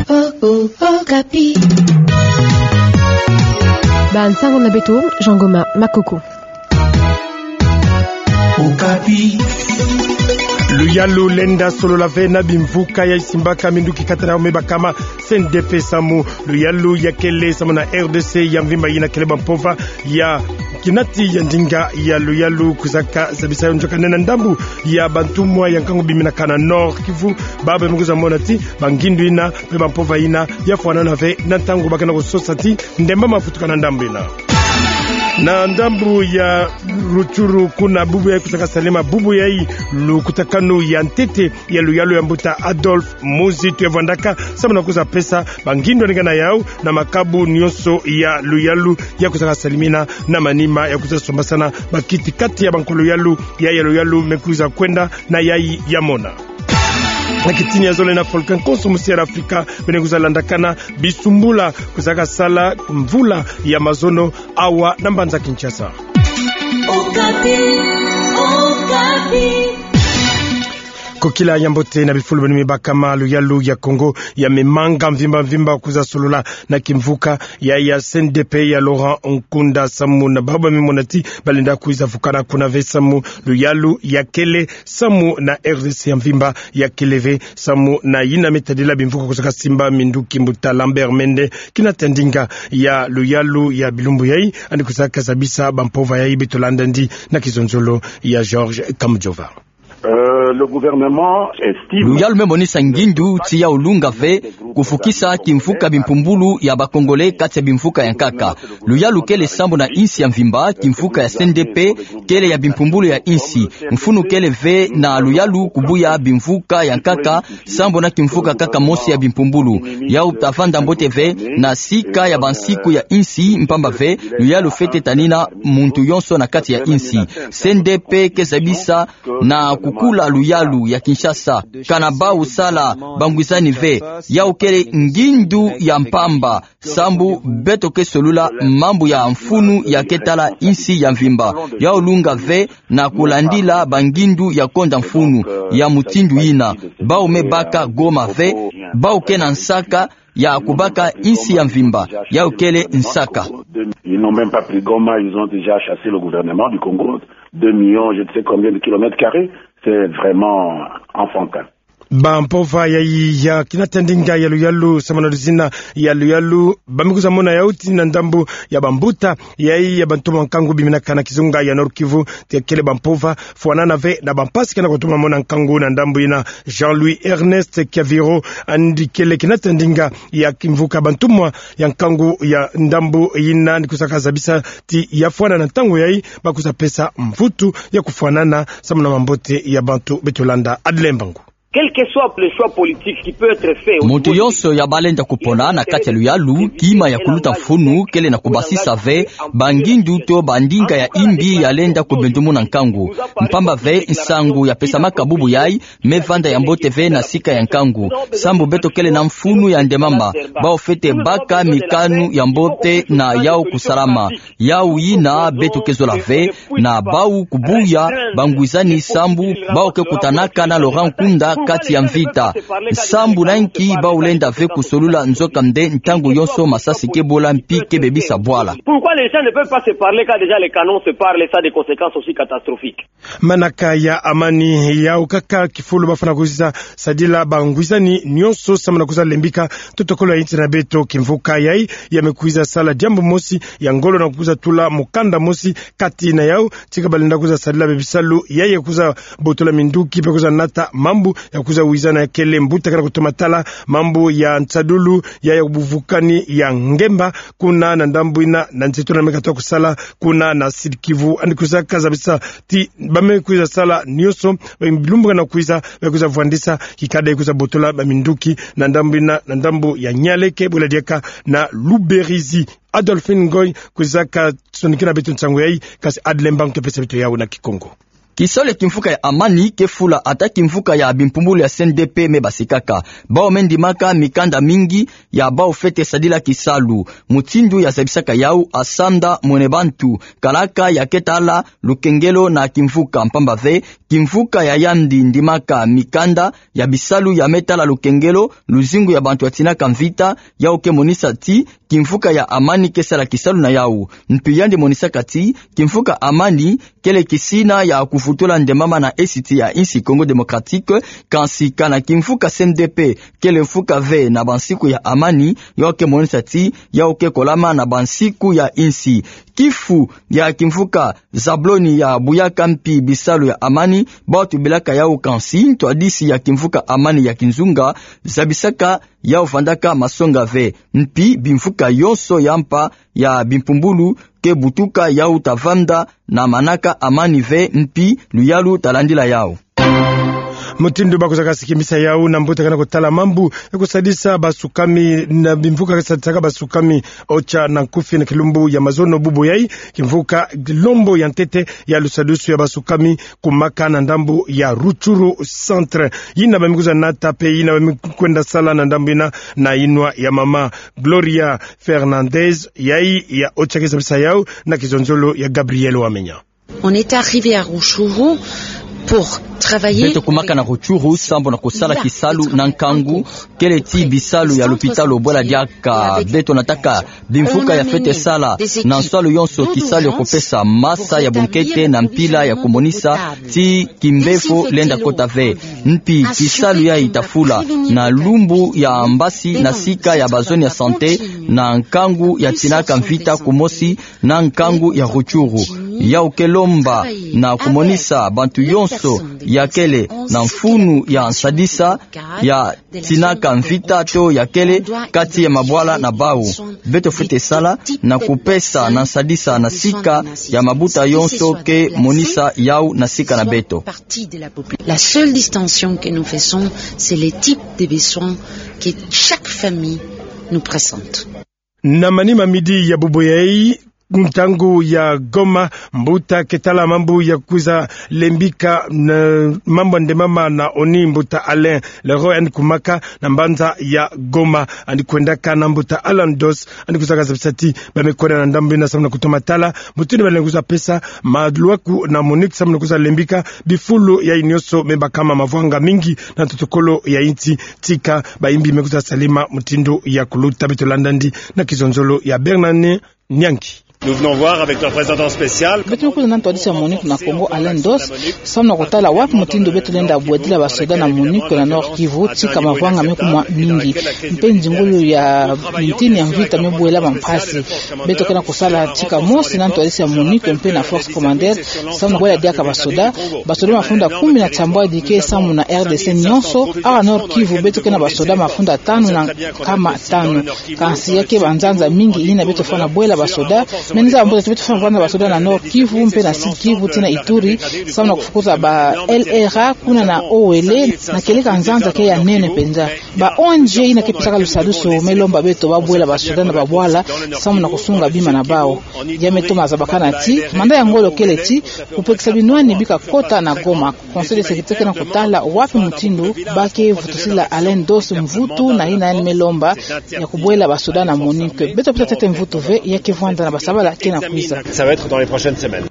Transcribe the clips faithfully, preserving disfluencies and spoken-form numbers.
Oh, oh, Okapi. Bansango na beto, Jean Goma Makoko. Okapi. Luyalu lenda solola ve na bimvuka ya isimbaka minduki kati na yao me bakama C N D P samu luyalu ya kele samu na R D C ya mvimba yina kele bampova ya kinati ya ndinga ya luyalu kwizaka zabisa yo nzoka nde na ndambu ya bantumwa ya nkangu biminaka na Nord-Kivu, baba me kwiza mona ti bangindu yina mpe bampova yina ya fwanana ve na ntangu ba kena kusosa ti ndemba mafutuka na ndambu yina. Na ndambu ya Rutshuru kuna bubu yayi kwizaka salema bubu yayi lukutakanu ya ntete ya luyalu ya mbuta Adolphe Muzi Tuevwandaka samu na kwiza pesa bangindu ya ndinga na yao na makabu nyonso ya luyalu ya kwizaka salimina na manima ya kwiza sombasana bakiti kati ya bankwa luyalu ya ya luyalu me kwiza kwenda na yayi ya mona. Na kitini ya zole na Volcan Konso mu Sierra Afrika bene kwiza landakana bisumbula kwizaka sala mvula ya mazono awa na mbanza Kinshasa. Okapi, Okapi. Kokila ya mbote na bifulu beno me bakama, luyalu ya Kongo ya me manga mvimba mvimba kwiza solola na kimvuka ya ya C N D P ya Laurent Nkunda samu na baba me mona ti balenda kwiza vukana kuna ve samu luyalu ya kele samu na R D C ya mvimba ya kele ve samu na yina me tadila bimvuka kwizaka simba minduki mbuta Lambert Mende kinata ndinga ya luyalu ya bilumbu yayi, yandi kwizaka zabisa bampova yayi. Beto landa yandi na kizonzolo ya George Kamujova. Euh, le gouvernement estime Luyalu me monisa ngindu ti yau lunga ve kufukisa kimvuka bimpumbulu ya ba Congolais kati ya bimvuka ya nkaka. Luyalu kele sambu na insi ya mvimba, kimvuka ya C N D P kele ya bimpumbulu ya insi. Mfunu kele ve na luyalu kubuya bimvuka ya nkaka sambu na kimvuka kaka mosi ya bimpumbulu. Yau tavanda mbote ve na sika ya bansiku ya insi, mpamba ve luyalu fwete tanina muntu yonso na kati ya insi. C N D P ke zabisa na kukula luyalu ya Kinshasa, kana bau sala bangwizani ve. Yau kele ngindu ya mpamba sambu beto ke solula mambu ya mfunu ya ke tala insi ya mvimba. Yau lunga ve na kulandila bangindu ya konda mfunu ya mutindu yina. Bau me baka Goma ve, bau ke na nsaka ya kubaka insi ya mvimba. Yau kele nsaka. Ils n'ont même pas pris Goma, ils ont déjà chassé le gouvernement du Congo. Deux millions, je ne sais combien de kilomètres carrés. C'est vraiment enfantin. Bampova yayi ya kinata ndinga ya luyalu samu na luzina ya luyalu ba me kwiza mona yau ti na ndambu ya bambuta yayi ya bantumwa nkangu biminaka na kizunga ya Nord-Kivu, ti ya kele bampova fwanana ve na bampasi kena kutoma mona nkangu na ndambu yina. Jean-Louis Ernest Kiaviro, yandi kele kinata ndinga ya kimvuka bantumwa ya nkangu ya ndambu yina, yandi kwizaka zabisa ti ya fwanana ntangu yayi ba kwiza pesa mvutu ya kufwanana samu na mambote ya bantu. Beto landa Adeline Mbangu. Quel que soit le choix politique qui peut être fait au Muntu niveau yonso ya balenda kupona na kati ya luyalu, kima ya kuluta mfunu kele na kubasisa ve bangindu to bandinga ya imbi ya lenda kubendumuna nkangu. Mpamba ve nsangu ya pesamaka bubu yayi me vanda ya mbote ve na sika ya nkangu. Sambu beto kele na mfunu ya ndemama, bau fwete baka mikanu ya mbote na yau kusalama. Yau yina beto ke zola ve na bau kubuya bangwizani sambu bau ke kutanaka na Laurent Nkunda kati ya mvita. Sambu na nki bau lenda ve kusolula nzoka nde ntangu yonso masasi ke bola mpi ke bebisa bwala. Pourquoi les gens ne peuvent pas se parler quand déjà les canons se parlent et ça a des conséquences aussi catastrophiques? Manaka ya amani yau kaka kifulu bafwana kwiza sadila bangwizani nyonso samu na kwiza lembika totokolo ya insi na beto. Kimvuka yayi ya me kwiza sala diambu mosi ya ngolo na kwiza tula mukanda mosi kati na yau, tika balenda kwiza sadila be bisalu yayi ya kwiza botola minduki mpe kwiza nata mambu ya kwiza wizana ya kele mbuta kena kutoma tala mambu ya nsadulu yayi ya buvukani ya ngemba kuna na ndambu yina na nzeto na me katuka kusala kuna na Sud-Kivu. Yandi kwizaka zabisa ti ba me kwiza sala nyonso, bilumbu kena kwiza, ba kwiza vwandisa kikadi ya kwiza botola baminduki na ndambu yina, na ndambu ya Nialeke, bwela diaka na Luberizi. Adolphine Ngoy kwizaka sonikila beto nsangu yayi, kasi Adeline Mbangu ke pesa beto yau na Kikongo. Kisalu ya kimvuka ya Amani ke fula ata kimvuka ya bimpumbulu ya C N D P me basikaka. Bawu me ndimaka mikanda mingi ya bawu fwete sadila kisalu. Mutindu ya zabisaka yawu, Asanda Mwene Bantu, kalaka ya ke tala lukengelo na kimvuka, mpamba ve kimvuka ya yandi ndimaka mikanda ya bisalu ya me tala lukengelo, luzingu ya bantu ya tinaka mvita, yawu ke monisa ti kimvuka ya Amani ke sala kisalu na yawu. Mpi yandi monisaka ti kimvuka Amani kele kisina ya kuvutula nde mama na esiti ya insi Congo Démocratique, kansi kana kimvuka C N D P kele mvuka ve na bansiku ya Amani, yawu ke monisa ti yawu ke kolama na bansiku ya insi. Kifu ya kimvuka Zabloni ya buyaka mpi bisalu ya Amani, bawu tubilaka yawu kansi ntwadisi ya kimvuka Amani ya kinzunga zabisaka yawu vandaka masonga ve. Mpi bimvuka yonso ya mpa ya bimpumbulu ke butuka yawu ta vanda na manaka Amani ve, mpi luyalu ta landila yawu. Mutindu bakwizaka sikimisa yawu na mbuta ke na kutala mambu ya kusadisa basukami na bimvuka ke sadisaka basukami, Ocha na nkufi na kilumbu ya mazono bubu yayi, kimvuka Lombo ya ntete ya lusadusu ya basukami kumaka na ndambu ya Rutshuru Centre. Yina ba me kwiza nata mpe yina ba me kwenda sala na ndambu yina na yinwa ya mama Gloria Fernandez, yayi ya Ocha ke zabisa yawu na kizonzolo ya Gabriel Wamenya. On est arrivé à Rutshuru pour travailler. Beto kumaka na Rutshuru sambu na kusala kisalu na nkangu, kele ti bisalu ya lupitalu bwela diaka. Beto nataka bimvuka ya fwete sala na nsalu yonso kisalu ya kupesa masa ya bunkete na mpila ya kumonisa ti kimbefo lenda kota ve. Mpi kisalu yayi ta fula na lumbu ya mbasi na sika ya bazone ya santé na nkangu ya tinaka mvita kumosi na nkangu ya Rutshuru. Yawu ke lomba na kumonisa bantu yonso ya kele na mfunu ya nsadisa ya tinaka mvita to ya kele kati ya mabwala na bawu. Beto fwete sala na kupesa na nsadisa na sika ya mabuta yonso ke monisa yawu na sika na beto. La seule distinction que nous faisons, c'est les types de besoins que chaque famille nous présente. Na manima midi ya bubu yayi, ntangu ya Goma, mbuta ke tala mambu ya kwiza lembika na mambu ya nde mama na ONI, mbuta Alain Leroy, yandi kumaka na mbanza ya Goma. Yandi kwendaka na mbuta Alan Dos, yandi kwizaka zabisa ti ba me kwenda na ndambu yina sambu na kutoma tala mutindu ba lenda kwiza pesa malwaku na MONUC sambu na kwiza lembika bifulu yayi yonso me bakama mavwanga mingi na ntoto-kolo ya insi. Tika bayimbi me kwiza salema mutindu ya kuluta. Beto landa yandi na kizonzolo ya Bernard Nyangi. Nous venons voir avec le représentant spécial. Beto me kwiza na ntwadisi ya MONUC na Congo, Alain Dos, sambu na kutala wapi mutindu beto lenda bwedila basoda na MONUC na Nord-Kivu, tika mavwanga me kuma mingi. Mpe nzingulu ya mintini ya mvita me bwela bampasi. Beto ke na kusala tika mosi na ntwadisi ya MONUC mpe na force commandaire, sambu na bwela diaka basoda. Basoda mafundi kumi na tiambwadi ke samu na R D C yonso. Awa Nord-Kivu beto ke na basoda mafundi tanu na nkama tanu. Kansi ya ke banzanza mingi yina beto fwana bwela basoda. Me nzaba mbuta ti beto fwana bwela basoda na Nord-Kivu mpe na Sud-Kivu tii na Ituri, sambu na kufukuza ba L R A kuna na Owele, na kieleka nzanza ke ya nene mpenza. Ba O N G yina ke pesaka lusadusu me lomba beto ba bwela basoda na babwala sambu na kusunga bima na bawu. Ya me toma zabakana ti manda ya ngolo kele ti kupekisa binwani bika kota na Goma. Conseil de sécurité ke na kutala wapi mutindu ba ke vutusila Alain Dos mvutu na yina yandi me lomba ya kubwela basoda na MONUC. Beto pesa ntete mvutu ve, ya ke vwanda na basabala ke na kwiza. Ça va être dans les prochaines semaines.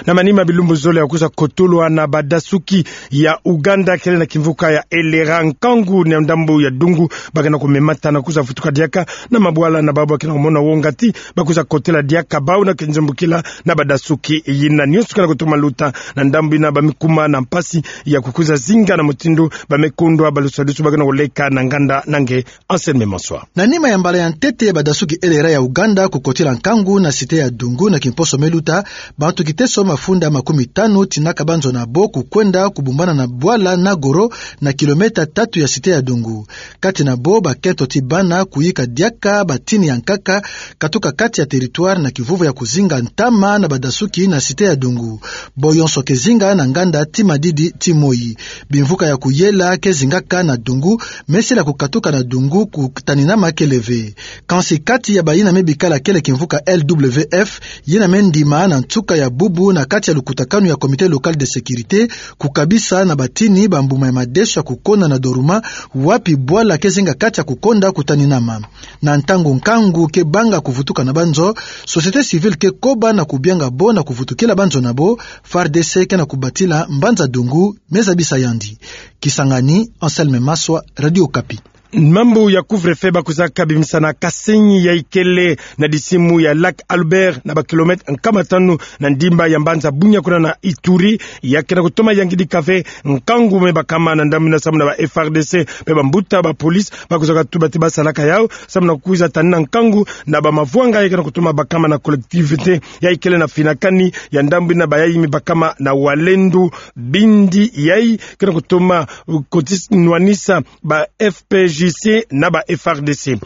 Na manima bilumbu zole ya kwiza kotolwa na badasuki ya Ouganda kele na kimvuka ya Elera, nkangu na ndambu ya Dungu, ba ke na kumemata na kwiza vutuka diaka na mabwala na bawu ba ke na kumona wonga ti ba kwiza kotela diaka bawu na kinzembukila na badasuki yina. Yonso ke na kutoma luta na ndambu yina, ba me kuma na mpasi ya kukwiza zinga na mutindu ba me kundwa balusadusu ba ke na kuleka na nganda na nge. Anselme Manswa. Na nima ya mbala ya ntete ya badasuki Elera ya Ouganda kukotila nkangu na cité ya Dungu na kimposo me luta, bantu kiteso mafunda makumi tanu tinaka banzo na bo kukwenda kubumbana na bwala Nagoro, na kilomètre tatu ya cité ya Dungu. Kati na bo bakento ti bana kuyika diaka batini ya nkaka, katuka kati ya territoire na kivuvu ya kuzinga ntama na badasuki na cité ya Dungu. Bo yonso ke zinga na nganda ti madidi ti moyi. Bimvuka ya kuyela ke zingaka na Dungu, me sila kukatuka na Dungu kutaninama kele ve. Kansi kati ya bayina me bikala kele kimvuka L W F, yina me ndima na nsuka ya bubu na kati ya lukutakanu ya Comité Local de Sécurité, kukabisa na batini bambuma ya madeso ya kukonda na Doruma, wapi bwala ke zenga kati ya kukonda kutaninama. Na ntangu nkangu ke banga kuvutuka na banzo, société civile ke koba na kubianga bo na kuvutukila banzo na bo, FARDC ke na kubatila mbanza dungu, me zabisa yandi. Kisangani, Anselme Maswa, Radio Okapi. Mambu ya couvre-feu ba kwiza ka bimisa na Kasenyi ya ikele na disimu ya Lac Albert na ba kilomètre nkama tanu na ndimba ya mbanza Bunia kuna na Ituri, ya ke na kutoma yangidika ve nkangu me bakama na ndambu ina samu na ba F R D C, pe bambuta ba police, ba kwiza ka tuba ti ba salaka yau, samu na kwiza tanina nkangu na ba mavwanga ya ke na kutoma bakama na collectivité ya ikele na finakani ya ndambu ina ba yai me bakama na Walendu, bindi yai ke na kutoma, uh, kotisi nwanisa ba F P J C na ba F R D C.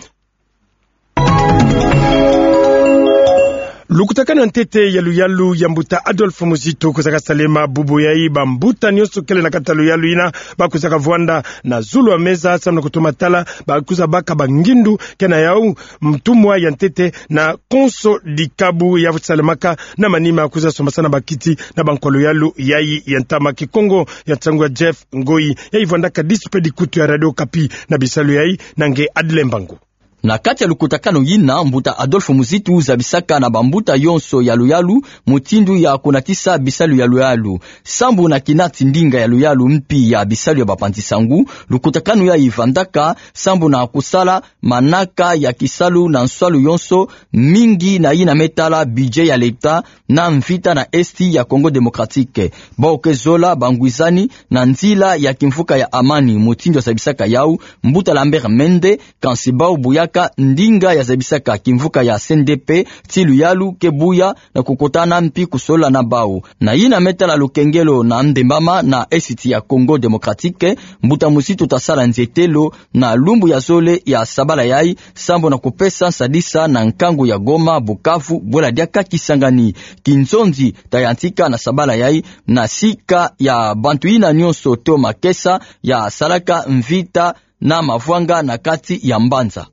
Lukutakanu ya ntete ya luyalu ya mbuta Adolphe Muzitu kwiza ka salema bubu yai, bambuta nyonso kele na kati ya luyalu ina ba kwiza ka vwanda na zulu ya meza samu na kutoma tala, ba kwiza baka bangindu ke na yau ntumwa ya ntete na konso dikabu ya salemaka na manima kwiza sombasana bakiti na bankwa luyalu yai ya ntama Kikongo ya nsangu ya Jeff Ngoi. Yai vwandaka disu pe dikutu ya Radio Okapi na bisalu yai na nge Adle Mbangu. Na kati ya lukutakanu yina, mbuta Adolphe Muzitu zabisaka na bambuta yonso ya luyalu mutindu ya kunatisa bisalu ya luyalu. Sambu na kinati ndinga ya luyalu mpi ya bisalu ya bapanzi-nsangu, lukutakanu yai vandaka sambu na kusala manaka ya kisalu na nswalu yonso, mingi na yina me tala budget ya leta na mvita na Esti ya Congo Démocratique. Bau ke zola bangwizani na nzila ya kimvuka ya amani, mutindu ya zabisaka yau mbuta Lambert Mende, kansi bau buyaka ndinga ya zabisaka kimvuka ya C N D P, ti luyalu ke buya na kukutana mpi kusolola na bau. Na yina me tala lukengelo na ndembama na Esti ya Congo Démocratique, mbuta Muzitu ta sala nzietelo na lumbu ya zole ya sabala yai, sambu na kupesa nsadisa na nkangu ya Goma, Bukavu, bwela diaka Kisangani. Kinzonzi ta yantika na sabala yai na sika ya bantu yina nyonso to makesa ya salaka mvita na mavwanga na kati ya mbanza.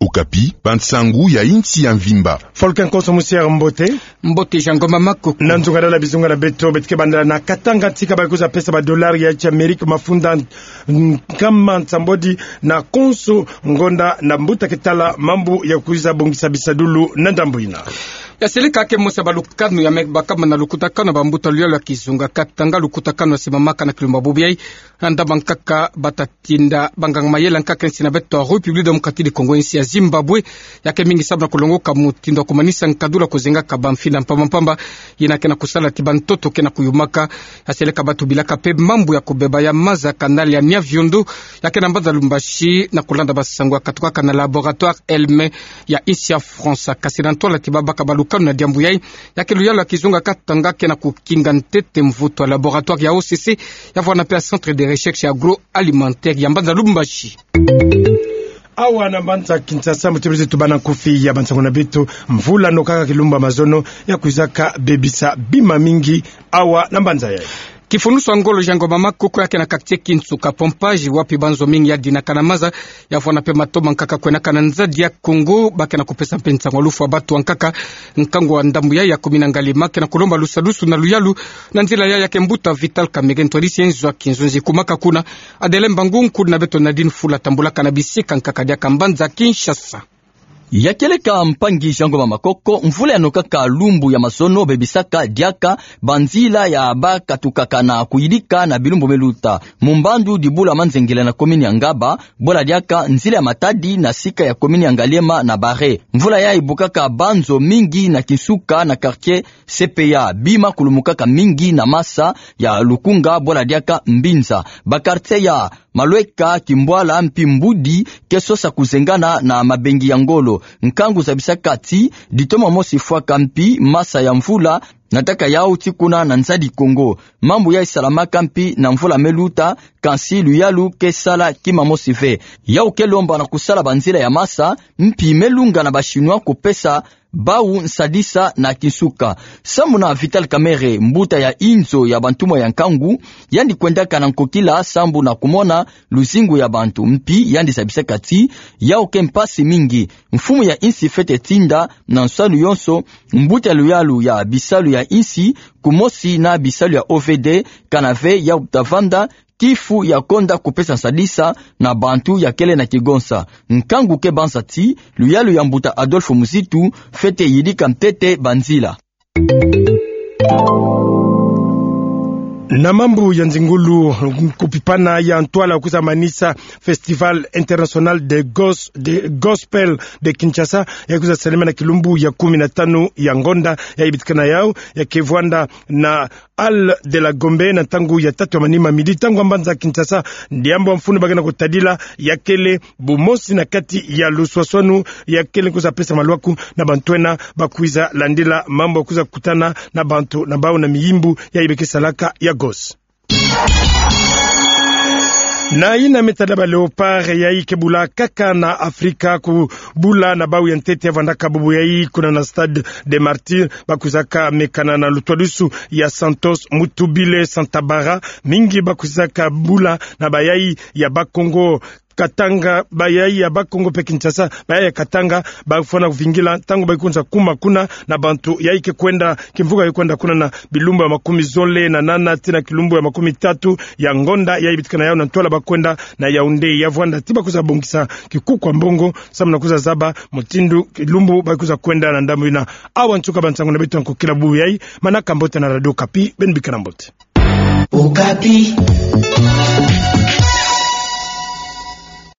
Okapi, bansangu ya insi ya mvimba. Folke Nkoso Musier, mbote. Mbote Jean Ngoma Makoko. Na nzungadala bizunga na beto, beto ke bandala na Katanga, tika ba kwiza pesa ba dollars ya Amerika mafunda nkama nsambwadi na konso ngonda na mbuta ke tala mambu ya kwiza bongisa bisadulu na ndambu ina. Ya seleka ke mosi ya balukanu ya me bakama na lukutakanu ya bambuta luyalu ya kizunga Katanga, lukutakanu ya simamaka na kilumba bubu yai, na ndambu nkaka bata tinda banganga mayela nkaka insi na beto ya République Démocratique du Congo, insi ya Zimbabwe, ya ke mingi samu na kulongoka mutindu ya kumanisa nkadula kuzengaka bamfina mpamba mpamba, yina ke na kusala ti bantoto ke na kuyumaka. Ya seleka ba tubilaka pe mambu ya kubeba ya maza, canal ya Nyabiondo, ya ke na mbanza Lubumbashi, na kulanda bansangu ya katukaka na laboratoire ELME ya insi ya France. Kasi na ntwala ti babaka balukanu na diambu yai, ya ke luyalu ya kizunga Katanga ke na kukinga ntete mvutu ya laboratoire ya O C C, ya vwanda pe ya Centre de Recherche Agroalimentaire ya mbanza Lubumbashi. Awa na mbanza Kinshasa, mu tibiri tubana nkufi ya bansangu na beto, mvula nokaka kilumbu ya mazono ya kwizaka bebisa bima mingi awa na mbanza yai. Kifunusu ya ngolo Jean Ngoma Makoko, ya ke na quartier Kinsuka Pompage, wapi banzo mingi ya dinaka na maza, ya vwanda pe mato mankaka kwenaka na nzadi ya Congo, ba ke na kupesa mpe nsangu ya lufwa batu ankaka. Nkangu wa ndambu yai ya komini ya Ngaliema ke na kulomba lusadusu na luyalu na nzila yai. Ya ke mbuta Vital Kamerhe, ntwadisi ya nzo ya kinzonzi kumaka kuna. Adele Mbangu, nkudi na beto Nadine Fula tambulaka na bisika nkaka diaka mbanza Kinshasa. Ya kieleka mpangi Jean Ngoma Makoko, mvula ya nokaka lumbu ya mazono bebisaka diaka banzila ya ba katukaka na kuyidika na bilumbu me luta. Mu mbandu dibula Manzengele na komini ya Ngaba, bwela diaka nzila ya Matadi na sika ya komini ya Ngaliema na Bare. Mvula yai bukaka banzo mingi na Kinsuka na quartier C P A, bima kulumukaka mingi na masa ya Lukunga, bwela diaka Mbinza. Ba quartier ya Malweka, Kimbwala mpi Mbudi ke sosa kuzengana na mabengi ya ngolo. Nkangu zabisaka ti ditoma mosi fwaka mpi masa ya mvula nataka yau ti kuna na nzadi Congo. Mambu yai salamaka mpi na mvula me luta, kansi luyalu ke sala kima mosi ve. Yau ke lomba na kusala banzila ya masa, mpi me lunga na ba Chinois kupesa bau nsadisa na kinsuka. Sambu na Vital Kamerhe, mbuta ya inzo ya bantumwa ya nkangu, yandi kwendaka na nkokila sambu na kumona luzingu ya bantu, mpi yandi zabisaka ti yau ke mpasi mingi. Mfumu ya insi fwete tinda na nsalu yonso mbuta ya luyalu ya bisalu ya insi, kumosi na bisalu ya O V D, kana ve yau tavanda kifu ya konda kupesa nsadisa na bantu ya kele na kigonsa. Nkangu ke banza ti luyalu ya mbuta Adolphe Muzitu fwete yidika ntete banzila. Na mambu ya nzingulu, kupipana ya ntwala kwiza manisa Festival International de Gos-, de Gospel de Kinshasa, ya kwiza salama na kilumbu ya kumi na tanu ya ngonda, ya ibitikana yau, ya ke vwanda na Hall de la Gombe na ntangu ya tatu ya manima midi, ntangu ya mbanza Kinshasa. Diambu ya mfunu ba ke na kutadila ya kele bumosi na kati ya luswaswanu ya kele kwiza pesa malwaku na bantu ena ba kwiza landila mambu ya kwiza kutana na bantu na bau na miyimbu ya ibe ke salaka ya gos. Na yina me tada ba Léopards yayi ke bula kaka na Afrika, kubula na bau ya ntete ya vwandaka bubu yayi kuna na Stade des Martyrs, ba kwizaka mekana na lutwadusu ya Santos Mutubile Santabara. Mingi ba kwizaka bula na bayayi ya Bas-Congo Katanga, bayayi ya Bas-Congo mpe Kinshasa, bayayi ya Katanga, ba fwana kuvingila ntangu ba kwiza kuma kuna na bantu yayi ke kwenda, kimvuka ke kwenda kuna na bilumbu ya makumi zole na nana tii na kilumbu ya makumi tatu ya ngonda, yayi bitikana yau na ntwala ba kwenda na Yaoundé, ya vwanda ti ba kwiza bongisa kikuku ya mbongo, samu na kwiza zaba mutindu kilumbu ba kwiza kwenda na ndambu yina. Awa nsuka ba nsangu na beto ya nkokila bubu yayi, manaka mbote na Radio Okapi, beno bika na mbote. Okapi.